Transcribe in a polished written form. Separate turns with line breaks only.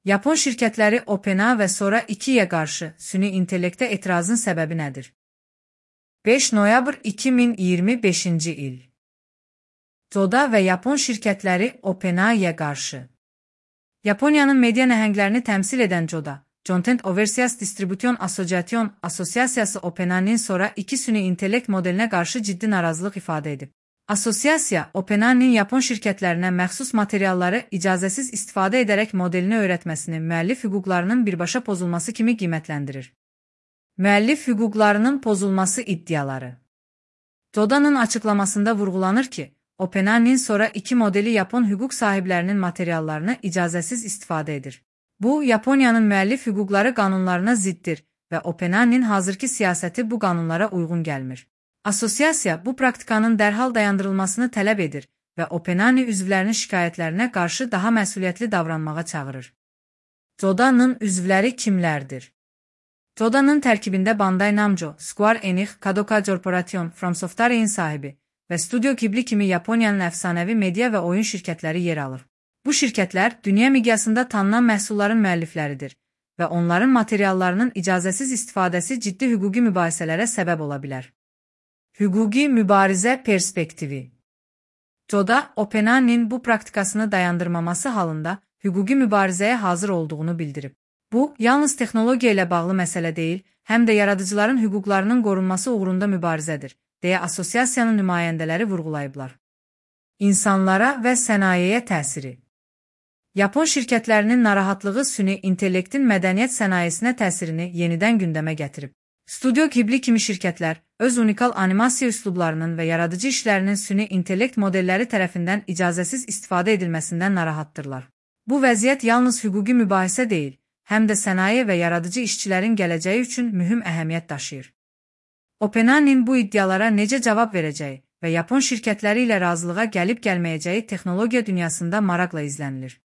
Yapon şirkətləri OpenAI və sonra 2-yə qarşı süni intellektə etirazın səbəbi nədir? 5 noyabr 2025-ci il. Coda və Yapon şirkətləri OpenAI-yə qarşı. Yaponiyanın media nəhənglərini təmsil edən Coda, Content Overseas Distribution Association Asosiasiyası OpenAI-nin sonra 2 süni intellekt modelinə qarşı ciddi narazılıq ifadə edib. Asosiasiya, OpenAI-nin Yapon şirkətlərinə məxsus materialları icazəsiz istifadə edərək modelini öyrətməsini müəllif hüquqlarının birbaşa pozulması kimi qiymətləndirir. Müəllif hüquqlarının pozulması iddiaları. Coda'nın açıqlamasında vurğulanır ki, OpenAI-nin sonra 2 modeli Yapon hüquq sahiblərinin materiallarını icazəsiz istifadə edir. Bu, Yaponiyanın müəllif hüquqları qanunlarına ziddir və OpenAI-nin hazırki siyasəti bu qanunlara uyğun gəlmir. Asosiasiya bu praktikanın dərhal dayandırılmasını tələb edir və OpenAI üzvlərinin şikayətlərinə qarşı daha məsuliyyətli davranmağa çağırır. Coda'nın üzvləri kimlərdir? Coda'nın tərkibində Bandai Namco, Square Enix, Kadokawa Corporation, From Software'in sahibi və Studio Ghibli kimi Yaponiyanın əfsanəvi media və oyun şirkətləri yer alır. Bu şirkətlər dünya miqyasında tanınan məhsulların müəllifləridir və onların materiallarının icazəsiz istifadəsi ciddi hüquqi mübahisələrə səbəb ola bilər. Hüquqi mübarizə perspektivi. Coda, OpenAI-nin bu praktikasını dayandırmaması halında hüquqi mübarizəyə hazır olduğunu bildirib. Bu, yalnız texnologiya ilə bağlı məsələ deyil, həm də yaradıcıların hüquqlarının qorunması uğrunda mübarizədir, deyə asosiasiyanın nümayəndələri vurğulayıblar. İnsanlara və sənayeyə təsiri. Yapon şirkətlərinin narahatlığı süni intellektin mədəniyyət sənayesinə təsirini yenidən gündəmə gətirib. Studio Ghibli kimi şirkətlər öz unikal animasiya üslublarının və yaradıcı işlərinin süni intellekt modelləri tərəfindən icazəsiz istifadə edilməsindən narahatdırlar. Bu vəziyyət yalnız hüquqi mübahisə deyil, həm də sənaye və yaradıcı işçilərin gələcəyi üçün mühüm əhəmiyyət daşıyır. OpenAI-nin bu iddialara necə cavab verəcəyi və Yapon şirkətləri ilə razılığa gəlib-gəlməyəcəyi texnologiya dünyasında maraqla izlənilir.